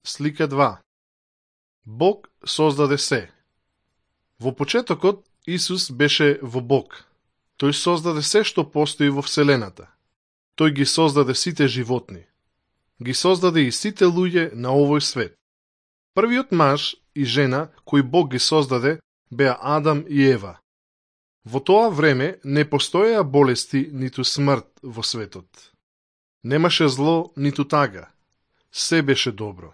Слика 2. Бог создаде се. Во почетокот Исус беше во Бог. Тој создаде се што постои во Вселената. Тој ги создаде сите животни. Ги создаде и сите луѓе на овој свет. Првиот маж и жена кои Бог ги создаде беа Адам и Ева. Во тоа време не постоеа болести ниту смрт во светот. Немаше зло ниту тага. Се беше добро.